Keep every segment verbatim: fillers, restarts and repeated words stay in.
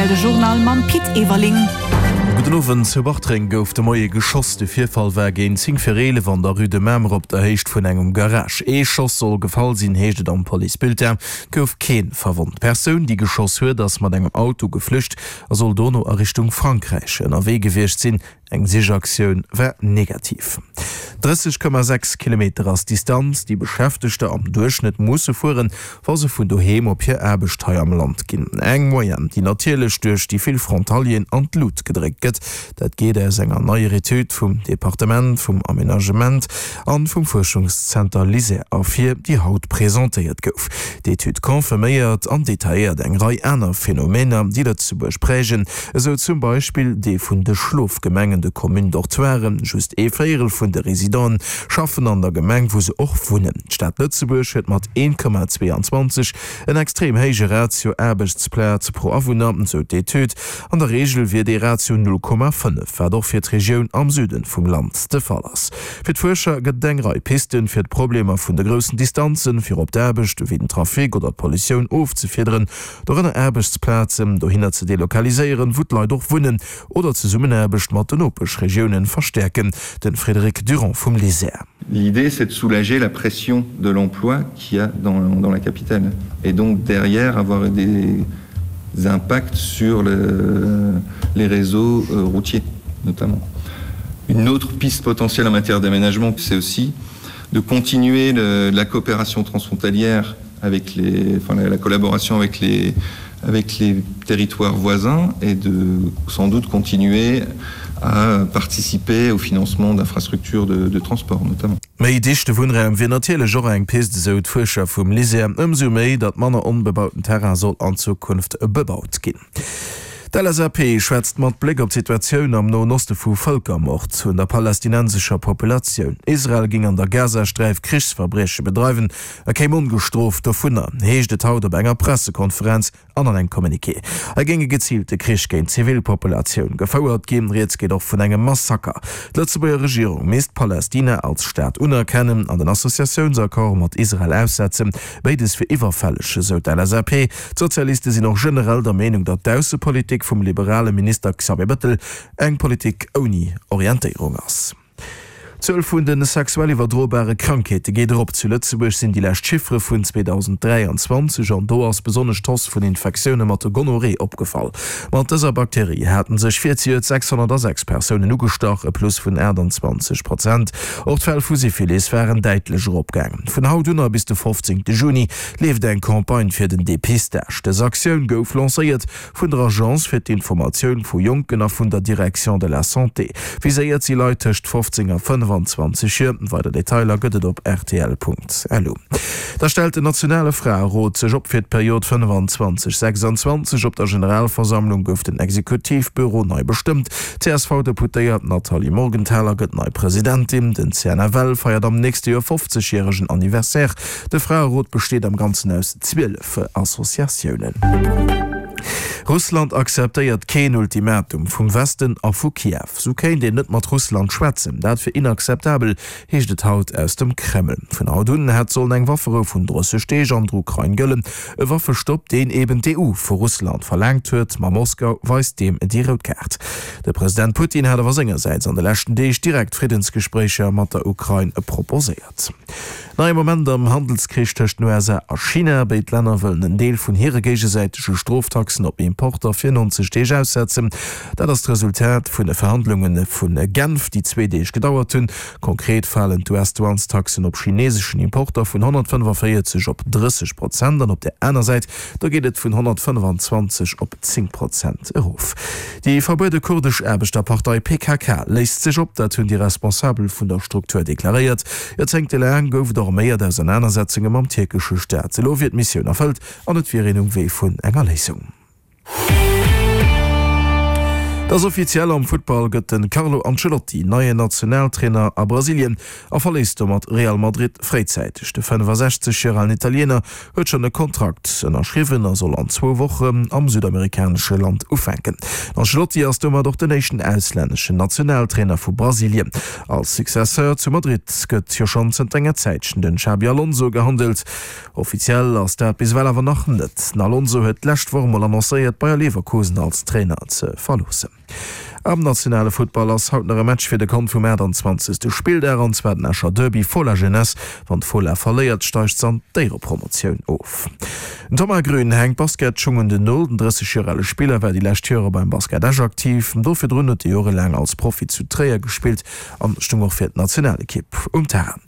rtl de Journal mam Pit Everling. Gudden Owend, Zu Bartreng gouf de Moie geschoss. De Virfall war géint zéng vir eelef an der Rue de Mamer op der Héicht vun engem Garage. Ee Schoss soll gefall sinn, heescht et am Policebulletin. Et gouf kee verwonnt. D'Persoun, déi geschoss huet, ass mat engem Auto geflücht a soll dono a Richtung Frankräich ënnerwee gewiescht sinn. Eng Sichaktioun war negativ. drësseg Komma sechs Kilometer ass d'Distanz, déi Beschäftegter am Duerchschnëtt musse fueren, wa se vun doheem op hir Aarbecht hei am Land ginn. Eng Moyenne, déi natierlech duerch déi vill Frontalieren an d'Lut gedréckt gëtt. Dat geet aus enger neier Etüd vum Departement vum Amenagement an vum Fuerschungszenter LISER ervir, déi haut presentéiert gouf. D'Etüd confirméiert an detailléiert eng Rei aner Phänomener, déi Lëtzebuerg prägen, esou zum Beispill dee vun de Schlofgemengen, de Communes-dortoiren. Just ee Véierel vun de Residenten schaffen an der Gemeng, wou se och wunnen. D'Stad Lëtzebuerg huet mat een Komma zweeanzwanzeg en extrem héije Ratio Aarbechtsplaz pro Awunner, sou d'Etüd. An der Reegel wier dee Ratio null Komma fënnef, wat och fir d'Regioun am Süden vum Land de Fall ass. Fir d'Fuerscher gëtt et eng Rei Pisten, fir d'Problemer vun de groussen Distanzen, fir op d'Aarbecht, wéi den Trafic oder d'Pollutioun ofzefiederen, dorënner Aarbechtsplazen dohinner ze delokaliséieren, wou d'Leit och wunnen, oder d'Zesummenaarbecht mat den Nopeschregiounen verstäerken. De Frédéric Durand vum LISER. L'idée, c'est de soulager la pression de l'emploi qu'il y a dans, dans la capitale et donc derrière avoir des impacts sur le, les réseaux euh, routiers notamment. Une autre piste potentielle en matière d'aménagement, c'est aussi de continuer le, la coopération transfrontalière avec les, enfin, la, la collaboration avec les, avec les territoires voisins et de sans doute continuer à participer au financement d'infrastructures de, de transport notamment. Méi dichte Wunnraum wier natierlech och eng Pist, esou d'Fuerscher vum LISER. Ëmsou méi, datt manner onbebauten Terrain soll an Zukunft bebaut ginn. D'LSAP schwätzt mat Bléck op d'Situatioun am Noen Oste vu Vëlkermord un der palästinensescher Populatioun. Israel géing an der Gazasträif Krichsverbrieche bedreiwen a kéim ongestrooft dovunner, heescht et haut op enger Pressekonferenz an an engem Communiqué. Hei géing e geziilte Krich géint d'Zivilpopulatioun gefouert ginn. Rieds geet och vun engem Massaker. D'Lëtzebuerger Regierung misst Palästina als Staat unerkennen an den Associatiounsaccord mat Israel aussetzen. Béides wier iwwerfälleg, esou d'LSAP. D'Sozialiste sinn och generell der Meenung, datt d'Aussepolitik vum liberale Minister Xavier Bettel eng Politik ouni Orientéierung ass. D'Zuel vun de sexuell iwwerdrobare Krankheete geet erop. Zu Lëtzebuerg sinn déi lescht Chiffere vun zweedausenddräianzwanzeg an do ass besonnesch d'Hausse vun Infektioune mat der Gonorrhoe opgefall. Mat dëser Bakterie hate sech virzejoert sechshonnertasechs Persounen ugestach, e Plus vun aachtanzwanzeg Prozent. Och d'Fäll vu Syphilis waren däitlech eropgaangen. Vun haut un a bis de fofzéngte Juni leeft eng Campagne fir den Depistage. Dës Aktioun gouf lancéiert vun der Agence fir d'Informatioun vu Jonken a vun der Direction de la Santé. Viséiert si Leit tëscht fofzéng a fënnefanzwanzeg Joer. Weider Detailer gëtt et op rtl Punkt lu. Da stellt den nationale Fraerot sech op fir d'Period fënnefanzwanzeg sechsanzwanzeg. Op der Generalversammlung gouf den Exekutivbüro nei bestëmmt. D'C S V-Deputéiert Nathalie Morgenthaler gëtt nei Presidentin. Den C N F L feiert am nächste Joer fofzeg järegen Anniversaire. De Fraerot besteet am Ganzen aus zwielef Associatiounen. Russland akzeptéiert keen Ultimatum vum Westen a vu Kiew. Sou kéint een net mat Russland schwätzen. Dat wier inakzeptabel, heescht et haut aus dem Kreml. Vun haut un hätt sollen eng Wafferou vun drësseg Deeg an der Ukrain gëllen. E Waffestopp, deen eben d'E U vu Russland verlaangt huet, ma Moskau weist deem déi rout Kaart. De President Putin hat awer sengersäits an de leschten Deeg direkt Friddensgespréicher mat der Ukrain proposéiert. Neie Moment am Handelskrich tëscht den U S A a China. Béid Länner wëllen en Deel vun hire géigesäitege Stroftaxen op Importer fir neunzeg Deeg aussetzen. Dat ass d'Resultat vun de Verhandlunge vu Genf, déi zwee Deeg gedauert hunn. Konkret falen d'U S-Douanestaxen op chineeseschen Importer vun honnertfënnefavéierzeg op drësseg Prozent an op der aner Säit do geet et vun honnertfënnefanzwanzeg op zéng Prozent erof. Déi verbuede kurdesch Aarbechterpartei P K K léist sech op, dat hunn déi Responsabel vun der Struktur deklaréiert. Joerzéngtelaang gouf et arméiert Ausernanersetzunge mam tierkesche Staat. Elo wier d'Missioun erfëllt an et wier een um Wee vun enger Léisung. Et ass offiziell, Am Futtball gëtt de Carlo Ancelotti neien Nationaltrainer a Brasilien a verléisst domat Real Madrid fréizäiteg. De fënnefasechzeg Joer alen Italiener huet schonn e Kontrakt ënnerschriwwen a soll an zwou Wochen am südamerikanesche Land ufänken. Den Ancelotti ass domat och den éischten auslänneschen Nationaltrainer vu Brasilien. Als Successeur zu Madrid gëtt jo schonn zënter enger Zäitchen den Xabi Alonso gehandelt. Offiziell ass dat bis ewell awer nach net. Den Alonso huet d'lescht Woch mol annoncéiert, Bayer Leverkusen als Trainer ze verloossen. Am nationale Futtball ass haut nach e Match fir de Kont vum achtanzwanzegste Spilldag, an zwar den Escher Derby Fola-Jeunesse. Wann d'Fola verléiert, steigt se an d'Éierepromotioun of. Den Thomas Grün hänkt d'Basketschung un den Nol. Den drësseg Joer ale Spiller war déi lescht Jore beim Basket Esch aktiv. Do virdrun huet e jorelaang als Profi zu Tréier gespillt an stung och fir d'Nationalekipp um Terrain.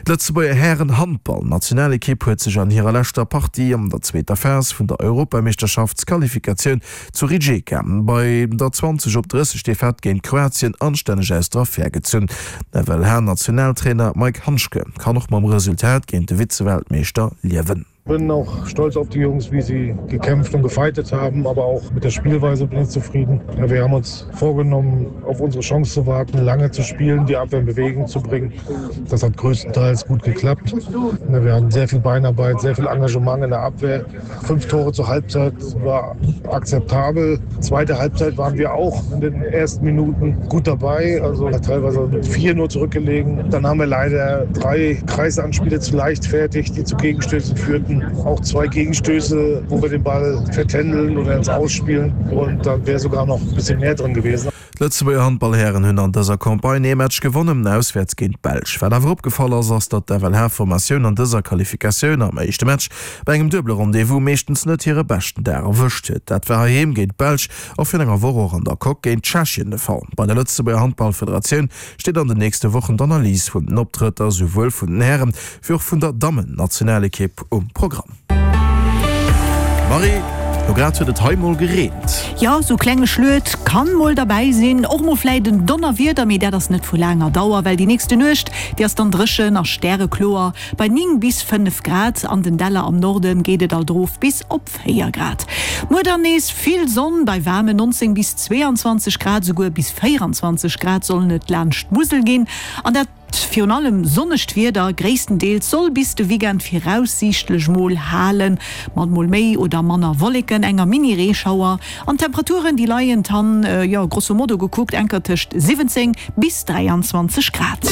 D'Lëtzebuerger Hären-Handball-Nationalekipp huet sech an hirer leschter Partie an der zweeter Phas vun der Europameeschterschaftsqualifikatioun zu Rijeka bei der zwanzeg op drësseg Defaite géint Kroatien anstänneg aus der Affär gezunn. Den F L H-Nationaltrainer Maik Handschke kann och mam Resultat géint de Vize-Weltmeeschter liewen. Bin auch stolz auf die Jungs, wie sie gekämpft und gefightet haben, aber auch mit der Spielweise bin ich zufrieden. Ja, wir haben uns vorgenommen, auf unsere Chance zu warten, lange zu spielen, die Abwehr in Bewegung zu bringen. Das hat größtenteils gut geklappt. Ja, wir hatten sehr viel Beinarbeit, sehr viel Engagement in der Abwehr. Fünf Tore zur Halbzeit war akzeptabel. Zweite Halbzeit waren wir auch in den ersten Minuten gut dabei, also teilweise mit vier nur zurückgelegen. Dann haben wir leider drei Kreisanspiele zu leichtfertig, die zu Gegenstößen führten. Auch zwei Gegenstöße, wo wir den Ball vertändeln oder ins Aus spielen. Und dann wäre sogar noch ein bisschen mehr drin gewesen. D'Lëtzebuerger Handballhären hunn an dëser Campagne ee Match gewonnen, auswäerts géint d'Belsch. Wat awer opgefall ass, ass datt d'F L H-Formatioun an dëser Qualifikatioun am éischte Match bei engem duebele Rendez-vous meeschtens net hire beschten Dag erwëscht huet. Dat war heiheem géint d'Belsch a virun enger Woch och an der Coque géint Tschechien de Fall. Bei der Lëtzebuerger Handballfederatioun steet an den nächste Wochen d'Analys vun den Optrëtter souwuel vun den Hären wéi och vun der Dammen-Nationalekipp um Programm. Marie, lo grad huet et hei mol gereent. Jo, sou klenge Schluet kann mol derbäi sinn, och mol vläit en Donnerwieder, mee dat ass net vu laanger Dauer, well déi nächste Nuecht, déi ass dann dréchen a stärekloer bei néng bis fënnef Grad. An den Däller am Norde geet et alt erof bis op véier Grad. Muer dann nees vill Sonn bei waarmen nonzéng bis zweeanzwanzeg Grad, souguer bis véieranzwanzeg Grad sollen et laanscht d'Musel ginn. An dat virun allem sonnegt Wieder gréisstendeels soll bis de Weekend viraussiichtlech mol halen, mat mol méi oder manner Wolleken, enger Mini-Reeschauer an Temperaturen, déi leien dann, jo, grosso modo gekuckt, enker tëscht siwwenzéng bis dräianzwanzeg Grad.